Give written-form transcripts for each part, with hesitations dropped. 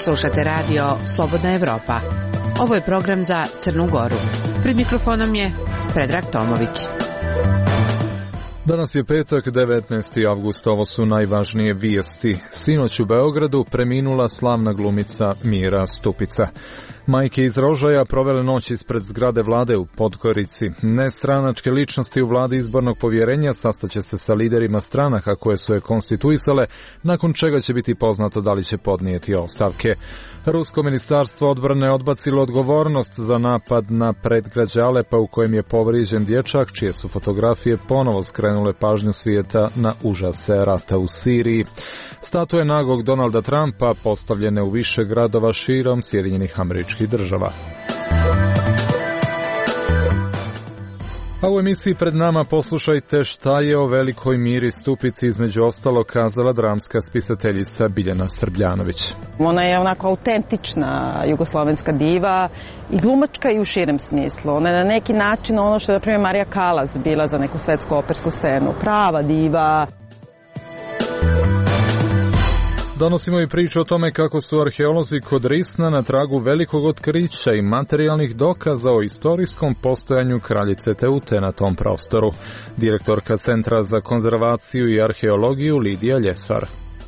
Slušate radio Slobodna Evropa. Ovo je program za Crnu Goru. Pred mikrofonom je Predrag Tomović. Danas je petak, 19. avgust, ovo su najvažnije vijesti. Sinoć u Beogradu preminula slavna glumica Mira Stupica. Majke iz Rožaja provele noć ispred zgrade vlade u Podgorici. Nestranačke ličnosti u vladi izbornog povjerenja sastaće se sa liderima stranaka koje su je konstituisale, nakon čega će biti poznato da li će podnijeti ostavke. Rusko ministarstvo odbrane odbacilo odgovornost za napad na predgrađe Alepa u kojem je povrijeđen dječak, čije su fotografije ponovo skrenule pažnju svijeta na užase rata u Siriji. Statue nagog Donalda Trumpa postavljene u više gradova širom Sjedinjenih Američkih Država. A u emisiji pred nama poslušajte šta je o velikoj Miri Stupici između ostalog kazala dramska spisateljica Biljana Srbljanović. Ona je onako autentična jugoslovenska diva i glumačka i u širem smislu. Ona je na neki način ono što je, na primjer, Marija Kalas bila za neku svetsku opersku scenu. Prava diva. Donosimo i priču o tome kako su arheolozi kod Risna na tragu velikog otkrića i materijalnih dokaza o istorijskom postojanju kraljice Teute na tom prostoru. Direktorka Centra za konzervaciju i arheologiju Lidija Ljesar.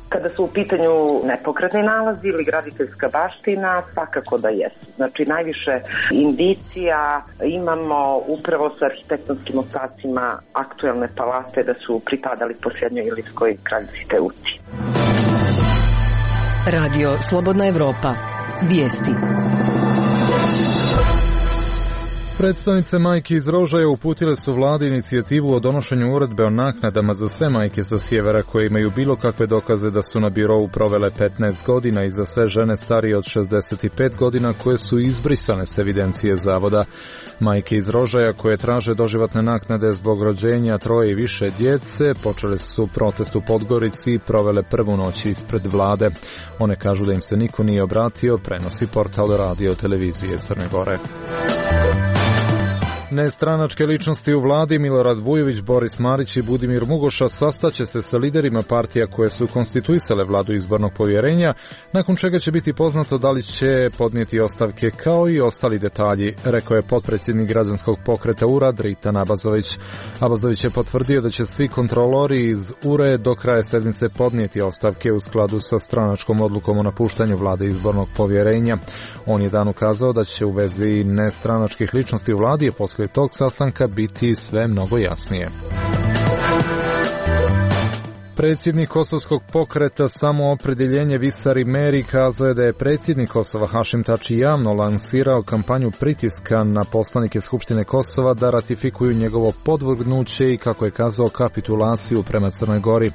Kada su u pitanju nepokretni nalazi ili graditeljska baština, svakako da jesu. Znači, najviše indicija imamo upravo sa arhitektonskim ostacima aktuelne palate da su pripadali posljednjoj ilirskoj kraljici Teuti. Radio Slobodna Evropa. Vijesti. Predstavnice majki iz Rožaja uputile su vladi inicijativu o donošenju uredbe o naknadama za sve majke sa sjevera koje imaju bilo kakve dokaze da su na birovu provele 15 godina i za sve žene starije od 65 godina koje su izbrisane s evidencije zavoda. Majke iz Rožaja koje traže doživotne naknade zbog rođenja troje i više djece počele su protest u Podgorici i provele prvu noć ispred vlade. One kažu da im se niko nije obratio, prenosi portal Radio Televizije Crne Gore. Nestranačke ličnosti u vladi Milorad Vujović, Boris Marić i Budimir Mugoša sastaće se sa liderima partija koje su konstituisale vladu izbornog povjerenja, nakon čega će biti poznato da li će podnijeti ostavke kao i ostali detalji, rekao je potpredsjednik građanskog pokreta URA Dritan Abazović. Abazović je potvrdio da će svi kontrolori iz URE do kraja sedmice podnijeti ostavke u skladu sa stranačkom odlukom o napuštanju vlade izbornog povjerenja. On je dan ukazao da će u vezi nestranačkih ličnosti u vladi poslije tog sastanka biti sve mnogo jasnije. Predsjednik kosovskog pokreta Samoopredjeljenje Visari Meri kazao je da je predsjednik Kosova Hašim Tači javno lansirao kampanju pritiska na poslanike Skupštine Kosova da ratifikuju njegovo podvrgnuće i, kako je kazao, kapitulaciju prema Crnoj Gori.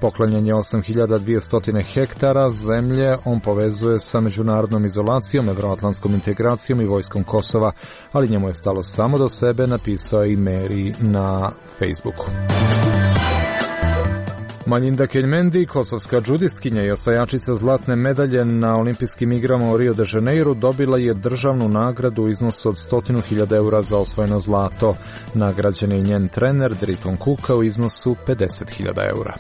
Poklanjanje 8200 hektara zemlje on povezuje sa međunarodnom izolacijom, evroatlantskom integracijom i vojskom Kosova, ali njemu je stalo samo do sebe, napisao i Meri na Facebooku. Malinda Keljmendi, kosovska džudistkinja i osvajačica zlatne medalje na olimpijskim igrama u Rio de Janeiru, dobila je državnu nagradu u iznosu od 100.000 eura za osvojeno zlato. Nagrađen je njen trener Driton Kuka u iznosu 50.000 eura.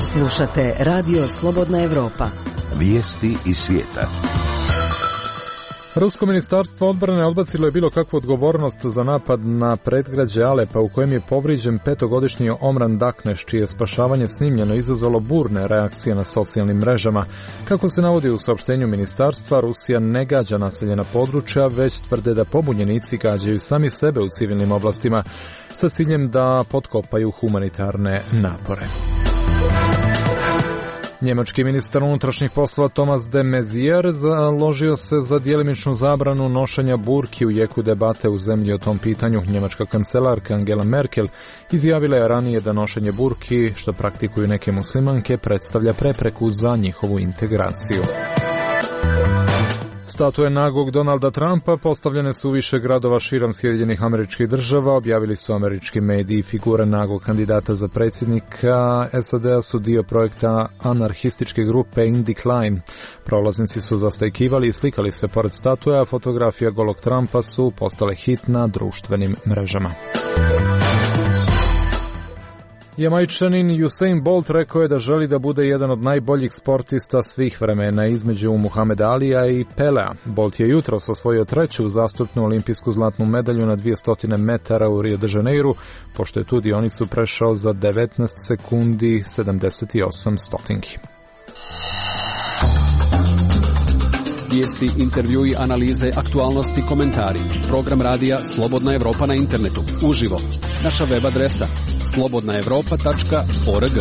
Slušate Radio Slobodna Evropa. Vijesti iz svijeta. Rusko ministarstvo odbrane odbacilo je bilo kakvu odgovornost za napad na predgrađe Alepa u kojem je povrijeđen 5-godišnji Omran Dakneš, čije spašavanje snimljeno izazvalo burne reakcije na socijalnim mrežama. Kako se navodi u saopštenju ministarstva, Rusija ne gađa naseljena područja, već tvrde da pobunjenici gađaju sami sebe u civilnim oblastima sa ciljem da potkopaju humanitarne napore. Njemački ministar unutrašnjih poslova Thomas de Maizière založio se za djelimičnu zabranu nošenja burki u jeku debate u zemlji o tom pitanju. Njemačka kancelarka Angela Merkel izjavila je ranije da nošenje burki, što praktikuju neke muslimanke, predstavlja prepreku za njihovu integraciju. Statue nagog Donalda Trumpa postavljene su u više gradova širom Sjedinjenih Američkih Država, objavili su američki mediji. Figure nagog kandidata za predsjednika SAD-a su dio projekta anarhističke grupe In Decline. Prolaznici su zastajkivali i slikali se pored statue, a fotografija golog Trumpa su postale hit na društvenim mrežama. Jamajčanin Usain Bolt rekao je da želi da bude jedan od najboljih sportista svih vremena između Muhameda Alija i Pelea. Bolt je jutros osvojio treću uzastopnu olimpijsku zlatnu medalju na 200 metara u Rio de Janeiru, pošto je tu dionicu prešao za 19 sekundi 78 stotinki. Vijesti, intervjui, analize, aktualnosti, komentari. Program radija Slobodna Evropa na internetu. Uživo. Naša web adresa slobodnaevropa.org.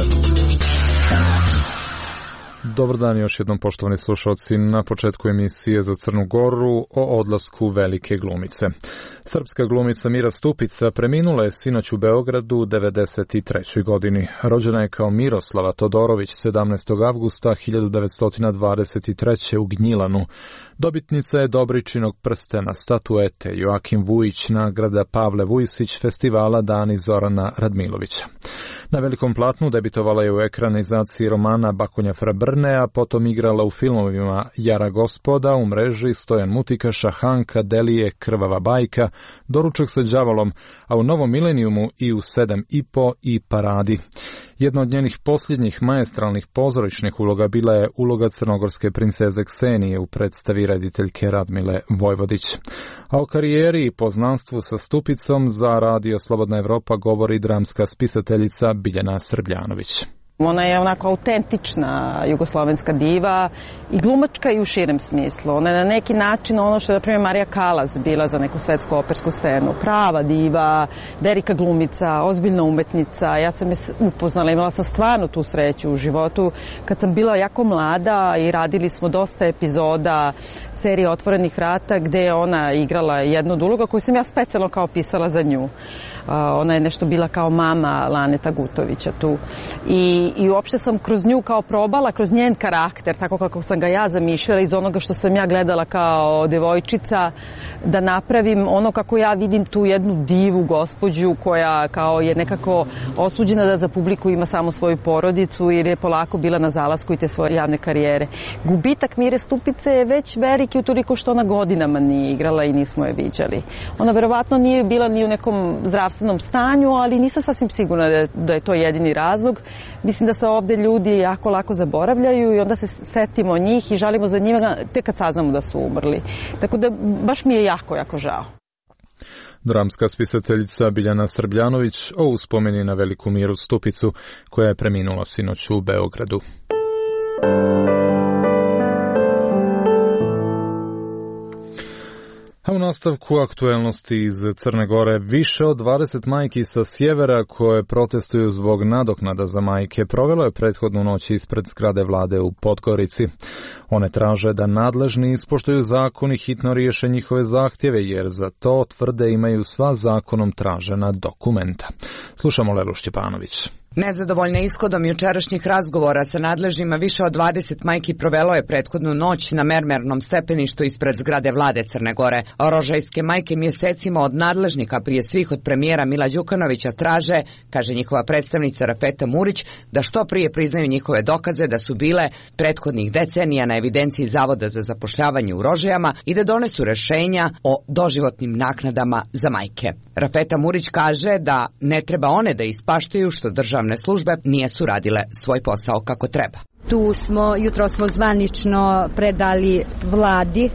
Dobar dan još jednom, poštovani slušalci, na početku emisije za Crnu Goru o odlasku velike glumice. Srpska glumica Mira Stupica preminula je sinoć u Beogradu u 93. godini. Rođena je kao Miroslava Todorović 17. avgusta 1923. u Gnjilanu. Dobitnica je Dobričinog prstena, statuete Joakim Vujić, nagrada Pavle Vujsić, festivala Dani Zorana Radmilovića. Na velikom platnu debitovala je u ekranizaciji romana Bakonja fra Brne, a potom igrala u filmovima Jara gospoda, U mreži, Stojan Mutikaša, Hanka, Delije, Krvava bajka, Doručak sa đavolom, a u Novom milenijumu i u 7,5 i Paradi. Jedna od njenih posljednjih maestralnih pozorišnih uloga bila je uloga crnogorske princeze Ksenije u predstavi rediteljke Radmile Vojvodić. A o karijeri i poznanstvu sa Stupicom za Radio Slobodna Evropa govori dramska spisateljica Biljana Srbljanović. Ona je onako autentična jugoslovenska diva i glumačka i u širem smislu. Ona je na neki način ono što je, na primjer, Marija Kalas bila za neku svetsku opersku scenu. Prava diva, velika glumica, ozbiljna umetnica. Ja sam je upoznala, imala sam stvarno tu sreću u životu kad sam bila jako mlada i radili smo dosta epizoda serije Otvorenih vrata gde je ona igrala jednu od uloga koju sam ja specijalno kao pisala za nju. Ona je nešto bila kao mama Laneta Gutovića tu. I uopšte sam kroz nju kao probala, kroz njen karakter, tako kako sam ga ja zamišljala iz onoga što sam ja gledala kao devojčica, da napravim ono kako ja vidim tu jednu divu gospođu koja kao je nekako osuđena da za publiku ima samo svoju porodicu jer je polako bila na zalasku i te svoje javne karijere. Gubitak Mire Stupice je već veliki utoliko što ona godinama nije igrala i nismo je viđali. Ona verovatno nije bila ni u nekom zdravstvenom stanju, ali nisam sasvim sigurna da je to jedini razlog. Mislim da se ovde ljudi jako lako zaboravljaju i onda se setimo njih i žalimo za njima tek kad saznamo da su umrli. Tako da baš mi je jako žao. Dramska spisateljica Biljana Srbljanović o uspomeni na veliku Miru Stupicu koja je preminula sinoć u Beogradu. A u nastavku aktuelnosti iz Crne Gore, više od 20 majki sa sjevera koje protestuju zbog nadoknada za majke provelo je prethodnu noć ispred zgrade vlade u Podgorici. One traže da nadležni ispoštuju zakon i hitno riješe njihove zahtjeve, jer za to, tvrde, imaju sva zakonom tražena dokumenta. Slušamo Lelu Štjepanović. Nezadovoljna ishodom jučerašnjih razgovora sa nadležnjima, više od 20 majki provelo je prethodnu noć na mermernom stepeništu ispred zgrade vlade Crne Gore. Orožajske majke mjesecima od nadležnika, prije svih od premijera Mila Đukanovića, traže, kaže njihova predstavnica Rafeta Murić, da što prije priznaju njihove dokaze da su bile prethodnih decenija na evidenciji Zavoda za zapošljavanje u Rožajama i da donesu rješenja o doživotnim naknadama za majke. Rafeta Murić kaže da ne treba one da ispaštaju što državne službe nijesu radile svoj posao kako treba. Jutro smo zvanično predali vladi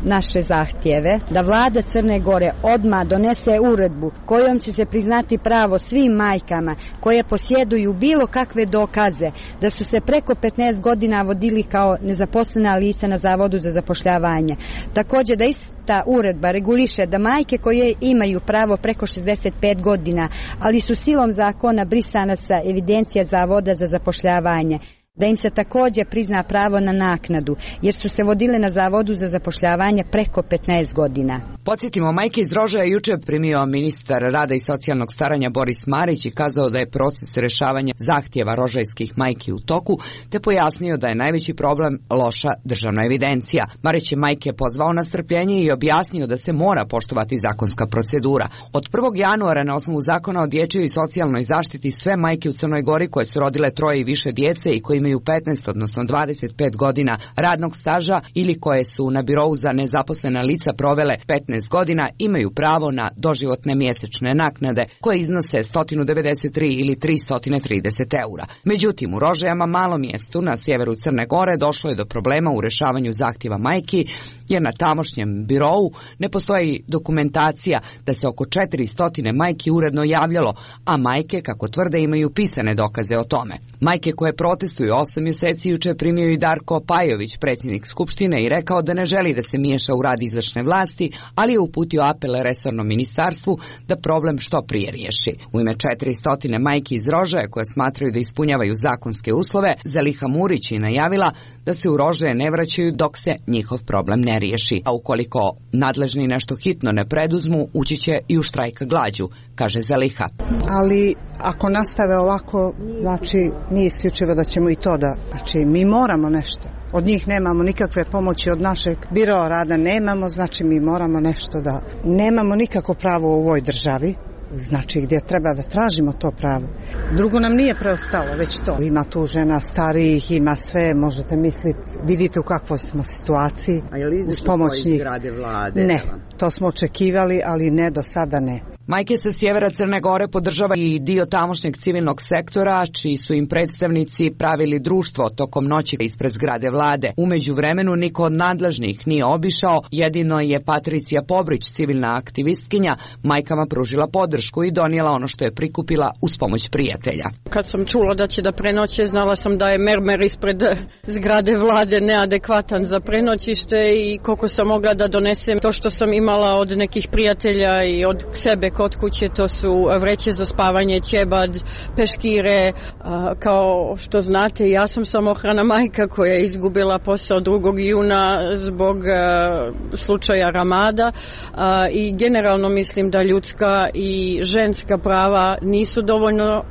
naše zahtjeve da vlada Crne Gore odmah donese uredbu kojom će se priznati pravo svim majkama koje posjeduju bilo kakve dokaze da su se preko 15 godina vodili kao nezaposlena lica na Zavodu za zapošljavanje. Također da ista uredba reguliše da majke koje imaju pravo preko 65 godina, ali su silom zakona brisana sa evidencije Zavoda za zapošljavanje, da im se također prizna pravo na naknadu, jer su se vodile na Zavodu za zapošljavanje preko 15 godina. Podsjetimo, majke iz Rožaja juče primio ministar rada i socijalnog staranja Boris Marić i kazao da je proces rješavanja zahtjeva rožajskih majki u toku, te pojasnio da je najveći problem loša državna evidencija. Marić je majke pozvao na strpljenje i objasnio da se mora poštovati zakonska procedura. Od 1. januara na osnovu zakona o dječjoj i socijalnoj zaštiti sve majke u Crnoj Gori koje su rodile 3 i više djece i koji imaju 15, odnosno 25 godina radnog staža ili koje su na birou za nezaposlena lica provele 15 godina imaju pravo na doživotne mjesečne naknade koje iznose 193 ili 330 eura. Međutim, u Rožajama, malom mjestu na sjeveru Crne Gore, došlo je do problema u rješavanju zahtjeva majki, jer na tamošnjem birou ne postoji dokumentacija da se oko 400 majki uredno javljalo, a majke, kako tvrde, imaju pisane dokaze o tome. Majke koje protestuju 8 mjeseci jučer primio i Darko Pajović, predsjednik Skupštine, i rekao da ne želi da se miješa u rad izvršne vlasti, ali je uputio apel resornom ministarstvu da problem što prije riješi. U ime 400 majki iz Rožaja koje smatraju da ispunjavaju zakonske uslove, Zeliha Murić je najavila da se u Rožaje ne vraćaju dok se njihov problem ne riješi. A ukoliko nadležni nešto hitno ne preduzmu, ući će i u štrajk glađu, kaže Zeliha. Ali ako nastave ovako, znači nije isključivo da ćemo i to znači mi moramo nešto. Od njih nemamo nikakve pomoći, od našeg biroa rada nemamo, znači mi moramo nešto da... Nemamo nikako pravo u ovoj državi, znači gdje treba da tražimo to pravo. Drugo nam nije preostalo, već to. Ima tu žena starijih, ima sve, možete misliti, vidite u kakvoj smo situaciji. A je li izašlo iz zgrade vlade? Ne, to smo očekivali, ali ne, do sada ne. Majke sa sjevera Crne Gore podržava i dio tamošnjeg civilnog sektora, čiji su im predstavnici pravili društvo tokom noći ispred zgrade vlade. U međuvremenu niko od nadležnih nije obišao, jedino je Patricija Pobrić, civilna aktivistkinja, majkama pružila podršku i donijela ono što je prikupila uz pomoć prijatelja. Kad sam čula da će da prenoće, znala sam da je mermer ispred zgrade vlade neadekvatan za prenoćište i koliko sam mogla da donesem to što sam imala od nekih prijatelja i od sebe kod kuće, to su vreće za spavanje, ćebad, peškire. Kao što znate, ja sam samohrana majka koja je izgubila posao 2. juna zbog slučaja Ramada i generalno mislim da ljudska i ženska prava nisu dovoljno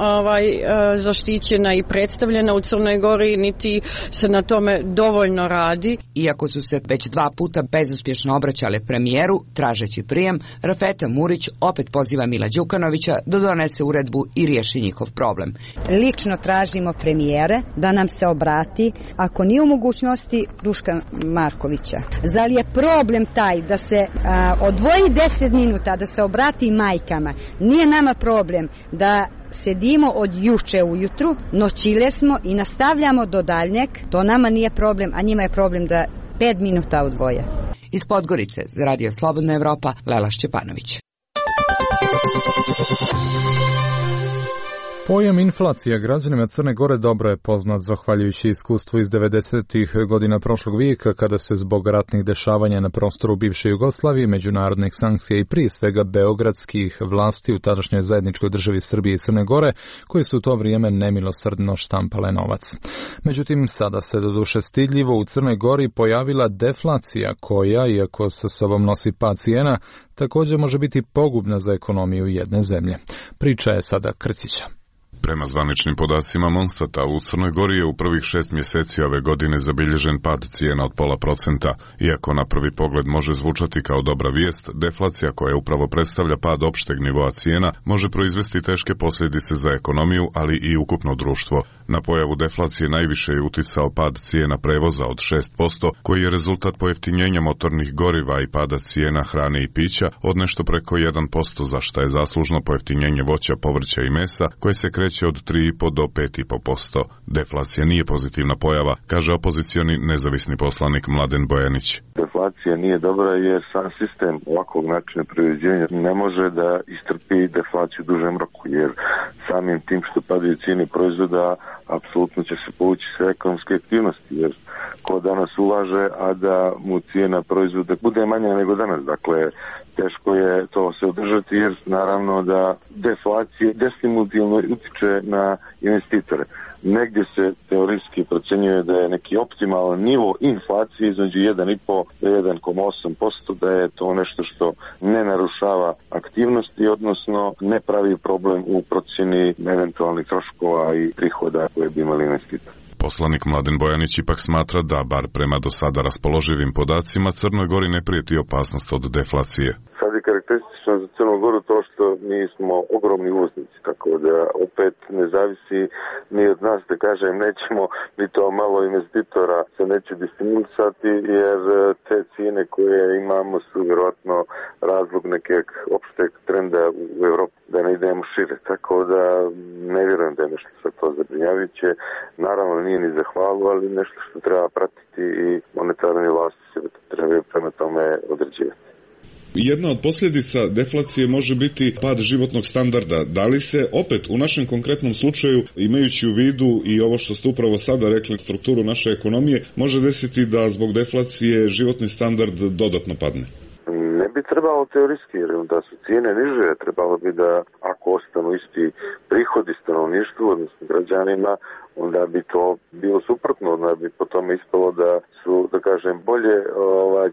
zaštićena i predstavljena u Crnoj Gori, niti se na tome dovoljno radi. Iako su se već 2 puta bezuspješno obraćale premijeru, tražeći prijem, Rafeta Murić opet poziva Mila Đukanovića da donese uredbu i riješi njihov problem. Lično tražimo premijere da nam se obrati, ako nije u mogućnosti Duška Markovića. Zar je problem taj da se odvoji 10 minuta, da se obrati majkama? Nije nama problem da sedimo od juče ujutru, noćile smo i nastavljamo do daljnjeg. To nama nije problem, a njima je problem da 5 minuta odvoje. Iz Podgorice, za Radio Slobodna Evropa, Lela Šćepanović. Pojam inflacija građanima Crne Gore dobro je poznat zahvaljujući iskustvu iz 90-ih godina prošlog vijeka, kada se zbog ratnih dešavanja na prostoru bivše Jugoslavije, međunarodnih sankcija i prije svega beogradskih vlasti u tadašnjoj zajedničkoj državi Srbije i Crne Gore, koji su u to vrijeme nemilosrdno štampale novac. Međutim, sada se doduše stidljivo u Crnoj Gori pojavila deflacija koja, iako sa sobom nosi pad cijena, također može biti pogubna za ekonomiju jedne zemlje. Priča je sada Krcića. Prema zvaničnim podacima Monstata, u Crnoj Gori je u prvih 6 mjeseci ove godine zabilježen pad cijena od 0,5%. Iako na prvi pogled može zvučati kao dobra vijest, deflacija koja upravo predstavlja pad opšteg nivoa cijena može proizvesti teške posljedice za ekonomiju, ali i ukupno društvo. Na pojavu deflacije najviše je uticao pad cijena prevoza od 6%, koji je rezultat pojeftinjenja motornih goriva i pada cijena hrane i pića od nešto preko 1%, za što je zaslužno pojeftinjenje voća, povrća i mesa, koje se kreće od 3,5 do 5,5%. Deflacija nije pozitivna pojava, kaže opozicioni nezavisni poslanik Mladen Bojanić. Deflacija nije dobra jer sam sistem ovakvog načina privređivanja ne može da istrpi deflaciju u dužem roku, jer samim tim što padaju cijene proizvoda, apsolutno će se povući sve ekonomske aktivnosti, jer ko danas ulaže, a da mu cijena proizvoda bude manja nego danas. Dakle, teško je to se održati, jer naravno da deflacija destimulativno utiče na investitore. Negdje se teorijski procjenjuje da je neki optimalan nivo inflacije između 1,5 do 1,8%, da je to nešto što ne narušava aktivnosti, odnosno ne pravi problem u procjeni eventualnih troškova i prihoda koje bi imali investitori. Poslanik Mladen Bojanić ipak smatra da, bar prema do sada raspoloživim podacima, Crnoj Gori ne prijeti opasnost od deflacije. Sad je karakteristično specifično za Crnu Goru to što mi smo ogromni uvoznici, tako da opet ne zavisi ni od nas, da kažem, nećemo ni to malo investitora se neće distimulisati, jer te cijene koje imamo su vjerojatno razlog nekog opšteg trenda u Evropi, da ne idemo šire, tako da ne vjerujem da je nešto sa to zabrinjavajuće. Naravno nije ni za hvalu, ali nešto što treba pratiti i monetarne vlasti se trebaju prema tome određivati. Jedna od posljedica deflacije može biti pad životnog standarda. Da li se opet u našem konkretnom slučaju, imajući u vidu i ovo što ste upravo sada rekli, strukturu naše ekonomije, može desiti da zbog deflacije životni standard dodatno padne? Ne bi trebalo teorijski, jer da su cijene niže, trebalo bi da ako ostanu isti prihodi stanovništvu, odnosno građanima, onda bi to bilo suprotno, onda bi po tome ispalo da su, da kažem, bolje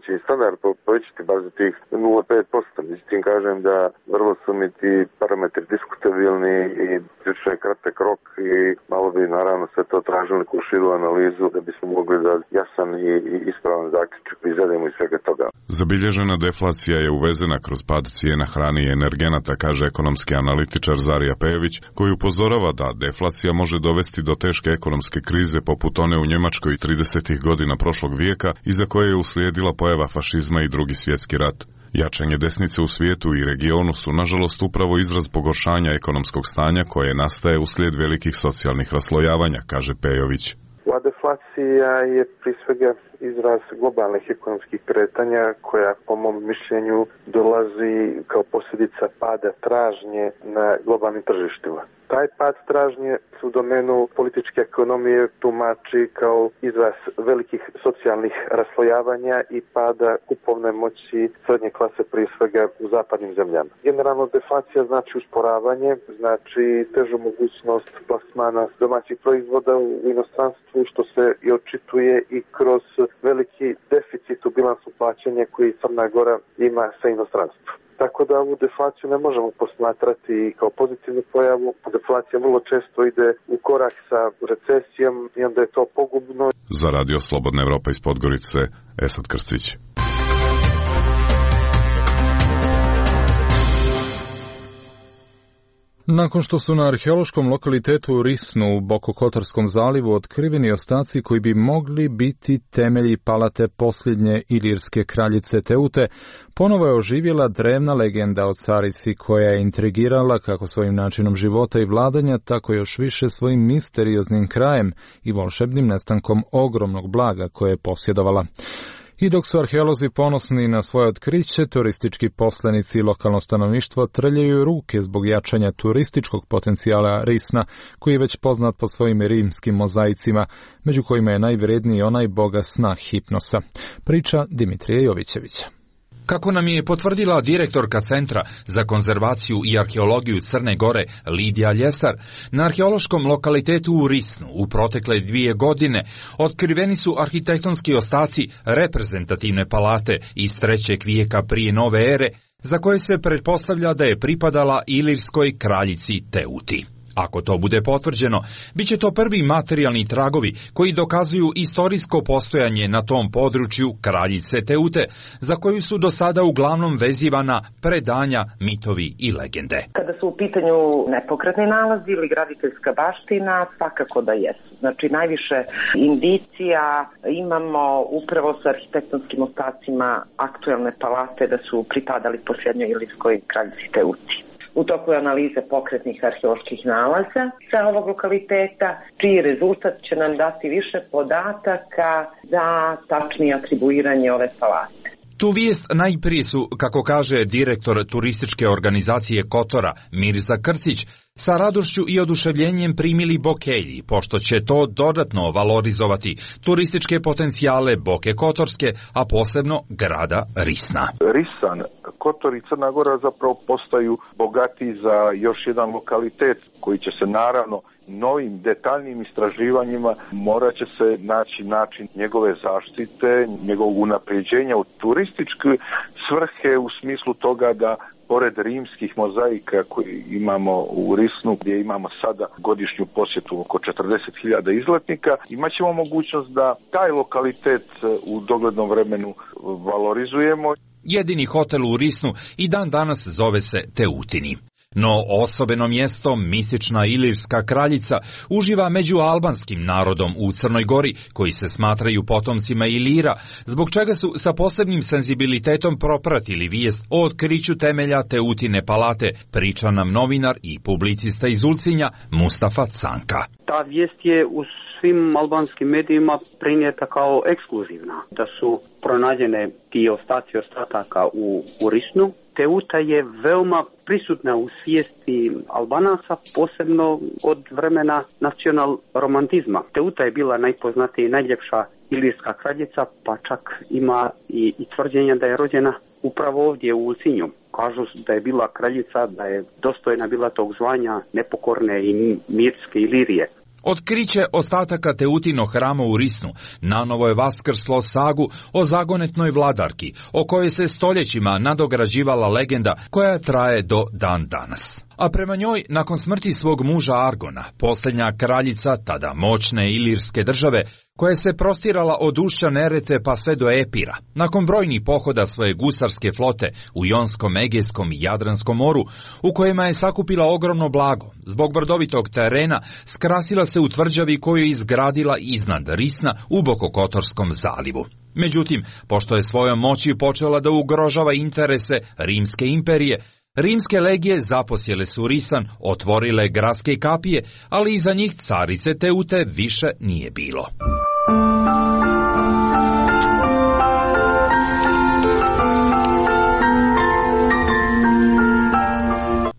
će standard povećati bar za tih 0,5%. Međutim, kažem da vrlo su mi ti parametri diskutabilni i prilično je kratak rok i malo bi naravno sve to tražili neku širu analizu da bismo mogli da jasan i ispravan zaključak izvedemo iz svega toga. Zabilježena deflacija je uvezena kroz pad cijena hrane i energenata, kaže ekonomski analitičar Zarija Pejović, koji upozorava da deflacija može dovesti do teške ekonomske krize poput one u Njemačkoj 30. godina prošlog vijeka, iza koje je uslijedila pojava fašizma i Drugi svjetski rat. Jačanje desnice u svijetu i regionu su nažalost upravo izraz pogoršanja ekonomskog stanja koje nastaje uslijed velikih socijalnih raslojavanja, kaže Pejović. Ova deflacija je prije svega izraz globalnih ekonomskih kretanja koja po mom mišljenju dolazi kao posljedica pada tražnje na globalnim tržištima. Taj pad tražnje u domenu političke ekonomije tumači kao izraz velikih socijalnih raslojavanja i pada kupovne moći srednje klase prije svega u zapadnim zemljama. Generalno deflacija znači usporavanje, znači težu mogućnost plasmana domaćih proizvoda u inostranstvu, što se i očituje i kroz veliki deficit u bilansu plaćanja koji Crna Gora ima sa inostranstvom. Tako da ovu deflaciju ne možemo posmatrati kao pozitivnu pojavu. Deflacija vrlo često ide u korak sa recesijom i onda je to pogubno. Za Radio Slobodna Evropa iz Podgorice, Esad Krstić. Nakon što su na arheološkom lokalitetu Risnu u Bokokotorskom zalivu otkriveni ostaci koji bi mogli biti temelji palate posljednje ilirske kraljice Teute, ponovo je oživjela drevna legenda o carici koja je intrigirala kako svojim načinom života i vladanja, tako još više svojim misterioznim krajem i volšebnim nestankom ogromnog blaga koje je posjedovala. I dok su arheolozi ponosni na svoje otkriće, turistički poslenici i lokalno stanovništvo trljaju ruke zbog jačanja turističkog potencijala Risna, koji je već poznat po svojim rimskim mozaicima, među kojima je najvredniji onaj boga sna Hipnosa. Priča Dimitrija Jovićevića. Kako nam je potvrdila direktorka Centra za konzervaciju i arheologiju Crne Gore Lidija Ljestar, na arheološkom lokalitetu u Risnu u protekle 2 godine otkriveni su arhitektonski ostaci reprezentativne palate iz 3. vijeka prije nove ere, za koje se pretpostavlja da je pripadala ilirskoj kraljici Teuti. Ako to bude potvrđeno, bit će to prvi materijalni tragovi koji dokazuju istorijsko postojanje na tom području kraljice Teute, za koju su do sada uglavnom vezivana predanja, mitovi i legende. Kada su u pitanju nepokretni nalazi ili graditeljska baština, svakako da jesu. Znači najviše indicija imamo upravo sa arhitektonskim ostacima aktuelne palate da su pripadali posljednjoj ilirskoj kraljici Teuti. U toku analize pokretnih arheoloških nalaza sa ovog lokaliteta, čiji rezultat će nam dati više podataka za tačnije atribuiranje ove palate. Tu vijest najprije su, kako kaže direktor turističke organizacije Kotora Mirza Krcić, sa radošću i oduševljenjem primili Bokelji, pošto će to dodatno valorizovati turističke potencijale Boke Kotorske, a posebno grada Risna. Risan, Kotor i Crna Gora zapravo postaju bogati za još jedan lokalitet koji će se naravno novim detaljnim istraživanjima morat će se naći način njegove zaštite, njegovog unapređenja u turističke svrhe u smislu toga da pored rimskih mozaika koji imamo u Risnu, gdje imamo sada godišnju posjetu oko 40.000 izletnika, imat ćemo mogućnost da taj lokalitet u doglednom vremenu valorizujemo. Jedini hotel u Risnu i dan danas zove se Teutini. No osobeno mjesto, mistična Ilirska kraljica, uživa među albanskim narodom u Crnoj Gori, koji se smatraju potomcima Ilira, zbog čega su sa posebnim senzibilitetom propratili vijest o otkriću temelja Teutine palate, priča nam novinar i publicista iz Ulcinja Mustafa Canka. Ta vijest je u svim albanskim medijima prinijeta kao ekskluzivna, da su pronađene ti ostaci ostataka u Risnu. Teuta je veoma prisutna u svijesti Albanaca, posebno od vremena nacional romantizma. Teuta je bila najpoznatija i najljepša ilirska kraljica, pa čak ima i tvrđenja da je rođena upravo ovdje u Ulcinju. Kažu da je bila kraljica, da je dostojna bila tog zvanja nepokorne i mirske Ilirije. Otkriće ostataka Teutinog hrama u Risnu nanovo je vaskrslo sagu o zagonetnoj vladarki, o kojoj se stoljećima nadograđivala legenda koja traje do dan danas. A prema njoj, nakon smrti svog muža Argona, posljednja kraljica tada moćne ilirske države, koja se prostirala od ušća Nerete pa sve do Epira, nakon brojnih pohoda svoje gusarske flote u Jonskom, Egejskom i Jadranskom moru, u kojima je sakupila ogromno blago, zbog brdovitog terena skrasila se u tvrđavi koju je izgradila iznad Risna u Bokokotorskom zalivu. Međutim, pošto je svojom moći počela da ugrožava interese Rimske imperije, rimske legije zaposjele su Risan, otvorile gradske kapije, ali iza njih carice Teute više nije bilo.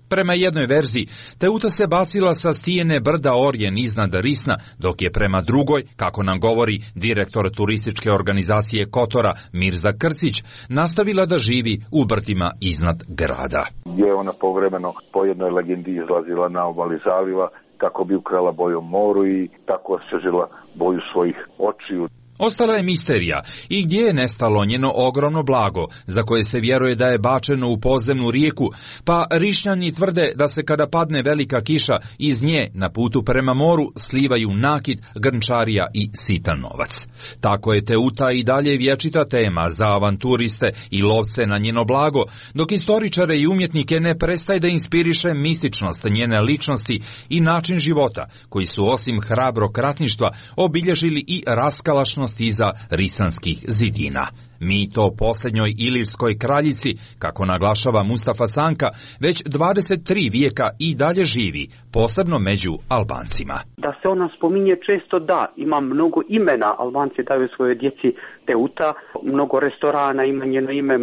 Prema jednoj verziji, Teuta se bacila sa stijene brda Orjen iznad Risna, dok je prema drugoj, kako nam govori direktor turističke organizacije Kotora Mirza Krcić, nastavila da živi u brdima iznad grada. Gdje je ona povremeno po jednoj legendi izlazila na obali zaliva kako bi ukrala boju moru i tako osvježila boju svojih očiju. Ostala je misterija i gdje je nestalo njeno ogromno blago, za koje se vjeruje da je bačeno u podzemnu rijeku, pa Rišnjani tvrde da se kada padne velika kiša iz nje na putu prema moru slivaju nakit, grnčarija i sitan novac. Tako je Teuta i dalje vječita tema za avanturiste i lovce na njeno blago, dok istoričare i umjetnike ne prestaje da inspiriše mističnost njene ličnosti i način života, koji su osim hrabrog ratništva obilježili i raskalašnost iza risanskih zidina. Mi to posljednjoj ilirskoj kraljici, kako naglašava Mustafa Canka, već 23 vijeka i dalje živi, posebno među Albancima. Da se ona spominje često, da, ima mnogo imena, Albanci daju svojoj djeci Teuta, mnogo restorana ima njeno ime,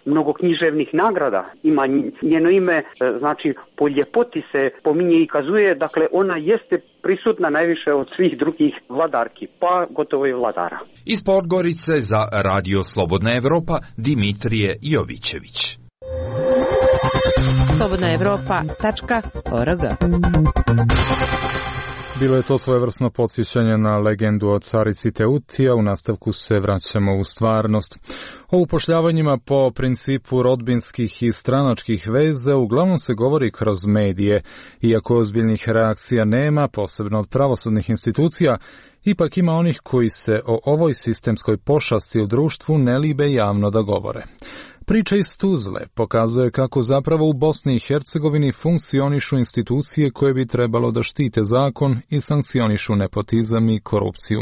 mnogo književnih nagrada ima njeno ime, znači po ljepoti se pominje i kazuje, dakle ona jeste prisutna najviše od svih drugih vladarki, pa gotovo i vladara. Iz Podgorice za Radio Slobodna Evropa, Dimitrije Jovićević. slobodnaevropa.org. Bilo je to svojevrsno podsjećanje na legendu o carici Teuti, a u nastavku se vraćamo u stvarnost. O upošljavanjima po principu rodbinskih i stranačkih veza uglavnom se govori kroz medije. Iako ozbiljnih reakcija nema, posebno od pravosudnih institucija, ipak ima onih koji se o ovoj sistemskoj pošasti u društvu ne libe javno da govore. Priča iz Tuzle pokazuje kako zapravo u Bosni i Hercegovini funkcionišu institucije koje bi trebalo da štite zakon i sankcionišu nepotizam i korupciju.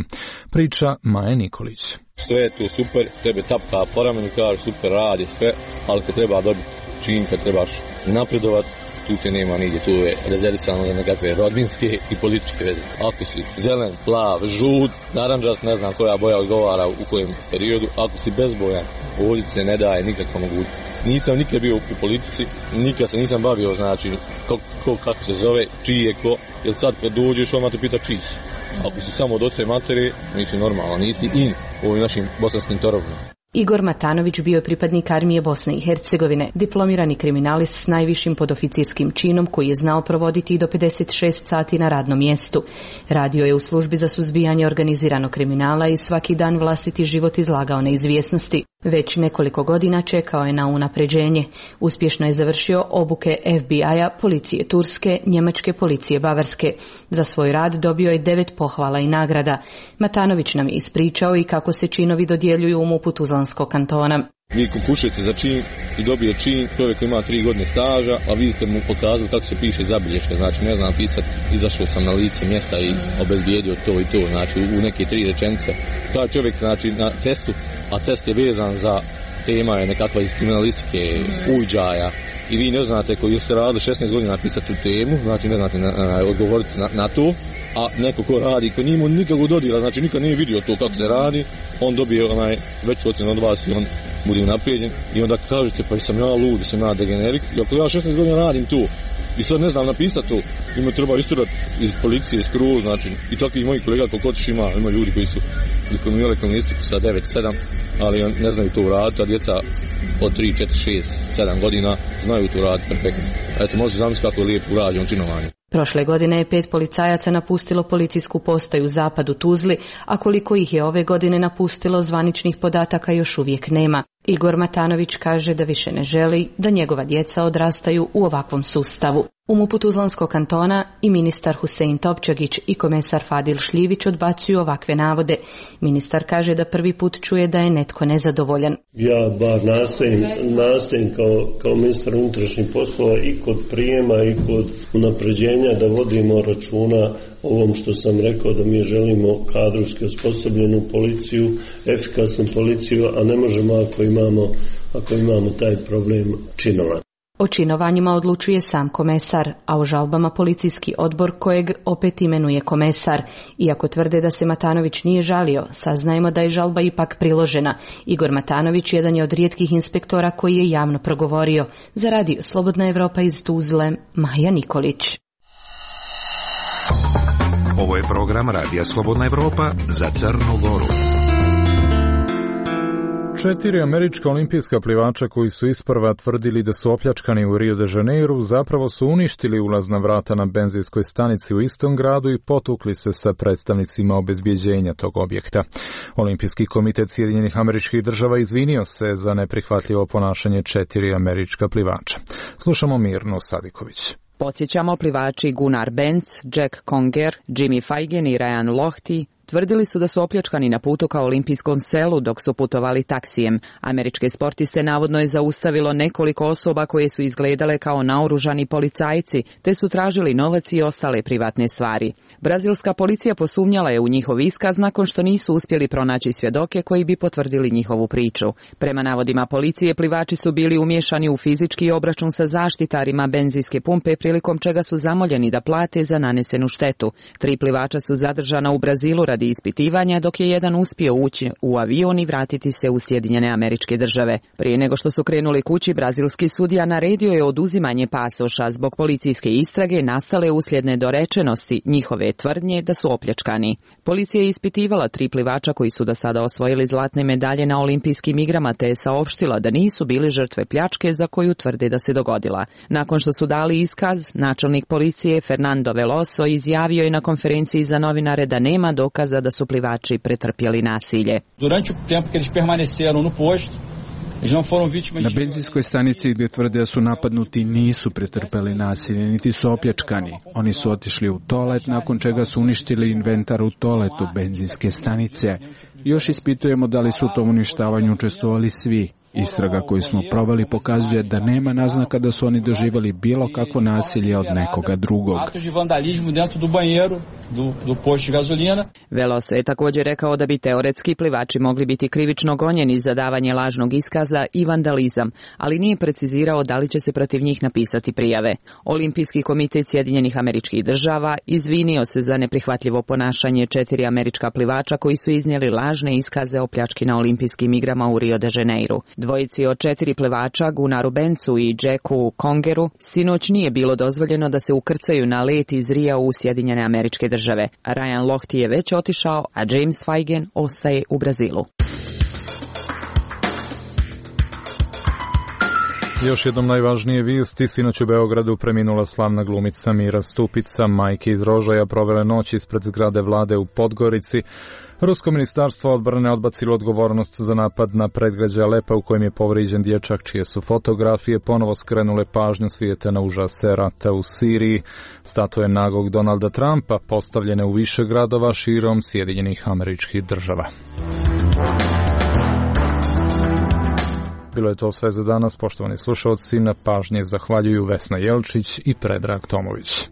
Priča Maje Nikolić. Sve je tu super, tebe tapka po ramenu, kaže super, radi sve, ali kad treba dobiti čin, kad trebaš napredovat, tu te nema nigdje, tu je rezervisano za nekakve rodbinske i političke veze. Ako si zelen, plav, žut, naranđast, ne znam koja boja odgovara u kojem periodu, ako si bezbojan, ovdje se ne daje nikakva mogućnost. Nisam nikad bio u politici, nikad se nisam bavio, znači, kako se zove, čiji je ko, jer sad kad dođeš, odmah te pita čiji si. Ako si samo od oce materije, nisi normalan, nisi in u ovim našim bosanskim torovima. Igor Matanović bio je pripadnik armije Bosne i Hercegovine, diplomirani kriminalist s najvišim podoficirskim činom koji je znao provoditi i do 56 sati na radnom mjestu. Radio je u službi za suzbijanje organiziranog kriminala i svaki dan vlastiti život izlagao neizvjesnosti. Već nekoliko godina čekao je na unapređenje. Uspješno je završio obuke FBI-a, policije Turske, njemačke policije Bavarske. Za svoj rad dobio je 9 pohvala i nagrada. Matanović nam je ispričao i kako se činovi dodjeljuju u MUP-u Tuzlanskog kantona. Vi konkursujete za čin i dobije čin, čovjek ima 3 godine staža, a vi ste mu pokazali kako se piše zabilješka, znači ne znam pisati, izašao sam na lice mjesta i obezbijedio to i to, znači u neke 3 rečenice. Taj čovjek znači na testu, a test je vezan za tema je nekakva iz kriminalistike, uviđaja, i vi ne znate koji ste radili 16 godina napisati tu temu, znači ne znate odgovoriti na to, a neko ko radi, ko nije mu nikakvog dodira, znači nikad nije vidio to kako se radi, on dobije veću ocjenu od vas i on bude unaprijeđen i onda kažete pa sam ja lud, sam ja degenerik, i ako ja 16 godina radim tu i sad ne znam napisati to, ima treba isturati iz policije, iz kruhu, znači i takvih mojih kolega koliko otiš ima ljudi koji su diplomirali kriminalistiku sa 9-7, ali ne znaju to uraditi, a djeca od 3, 4, 6, 7 godina znaju to uraditi perfektno. Eto, možete zamisliti kako je lijepo urađeno činovanje. Prošle godine je 5 policajaca napustilo policijsku postaju Zapad u Tuzli, a koliko ih je ove godine napustilo zvaničnih podataka još uvijek nema. Igor Matanović kaže da više ne želi da njegova djeca odrastaju u ovakvom sustavu. U MUP-u Tuzlanskog kantona i ministar Husein Topčagić i komesar Fadil Šljivić odbacuju ovakve navode. Ministar kaže da prvi put čuje da je netko nezadovoljan. Ja bar nastojim kao ministar unutrašnjih poslova i kod prijema i kod unapređenja da vodimo računa ovom što sam rekao, da mi želimo kadrovski osposobljenu policiju, efikasnu policiju, a ne možemo ako imamo taj problem činova. O činovanjima odlučuje sam komesar, a o žalbama policijski odbor kojeg opet imenuje komesar. Iako tvrde da se Matanović nije žalio, saznajemo da je žalba ipak priložena. Igor Matanović jedan je od rijetkih inspektora koji je javno progovorio. Za radio Slobodna Evropa iz Tuzle, Maja Nikolić. Ovo je program Radija Slobodna Evropa za Crnu Goru. 4 američka olimpijska plivača koji su isprva tvrdili da su opljačkani u Rio de Janeiru zapravo su uništili ulazna vrata na benzinskoj stanici u istom gradu i potukli se sa predstavnicima obezbjeđenja tog objekta. Olimpijski komitet Sjedinjenih Američkih Država izvinio se za neprihvatljivo ponašanje 4 američka plivača. Slušamo Mirnu Sadiković. Podsjećamo, plivači Gunnar Benz, Jack Conger, Jimmy Feigen i Ryan Lochte tvrdili su da su opljačkani na putu ka olimpijskom selu dok su putovali taksijem. Američke sportiste navodno je zaustavilo nekoliko osoba koje su izgledale kao naoružani policajci, te su tražili novac i ostale privatne stvari. Brazilska policija posumnjala je u njihov iskaz nakon što nisu uspjeli pronaći svjedoke koji bi potvrdili njihovu priču. Prema navodima policije, plivači su bili umiješani u fizički obračun sa zaštitarima benzinske pumpe, prilikom čega su zamoljeni da plate za nanesenu štetu. 3 plivača su zadržana u Brazilu radi ispitivanja, dok je jedan uspio ući u avion i vratiti se u Sjedinjene Američke Države. Prije nego što su krenuli kući, brazilski sudija naredio je oduzimanje pasoša zbog policijske istrage nastale uslijed nedorečenosti njihove tvrdnje da su opljačkani. Policija je ispitivala 3 plivača koji su do sada osvojili zlatne medalje na olimpijskim igrama, te je saopštila da nisu bili žrtve pljačke za koju tvrde da se dogodila. Nakon što su dali iskaz, načelnik policije Fernando Veloso izjavio je na konferenciji za novinare da nema dokaza da su plivači pretrpjeli nasilje. Durante o tempo que eles permaneceram no posto, na benzinskoj stanici gdje tvrde da su napadnuti nisu pretrpeli nasilje, niti su opljačkani. Oni su otišli u toalet, nakon čega su uništili inventar u toaletu benzinske stanice. Još ispitujemo da li su u tom uništavanju učestvovali svi. Istraga koju smo proveli pokazuje da nema naznaka da su oni doživjeli bilo kakvo nasilje od nekoga drugog. Veloso je također rekao da bi teoretski plivači mogli biti krivično gonjeni za davanje lažnog iskaza i vandalizam, ali nije precizirao da li će se protiv njih napisati prijave. Olimpijski komitet Sjedinjenih Američkih Država izvinio se za neprihvatljivo ponašanje 4 američka plivača koji su iznijeli lažne iskaze o pljački na olimpijskim igrama u Rio de Janeiru. Dvojici od 4 plivača, Gunnaru Benzu i Jacku Congeru, sinoć nije bilo dozvoljeno da se ukrcaju na let iz Rija u Sjedinjene Američke Države. Ryan Lochte je već otišao, a James Feigen ostaje u Brazilu. Još jednom najvažnije vijesti, sinoć u Beogradu preminula slavna glumica Mira Stupica, majke iz Rožaja provele noć ispred zgrade vlade u Podgorici. Rusko ministarstvo odbrane odbacilo odgovornost za napad na predgrađe Alepa u kojem je povrijeđen dječak, čije su fotografije ponovo skrenule pažnju svijeta na užase rata u Siriji. Statue nagog Donalda Trumpa postavljene u više gradova širom Sjedinjenih Američkih Država. Bilo je to sve za danas, poštovani slušalci, na pažnje zahvaljuju Vesna Jelčić i Predrag Tomović.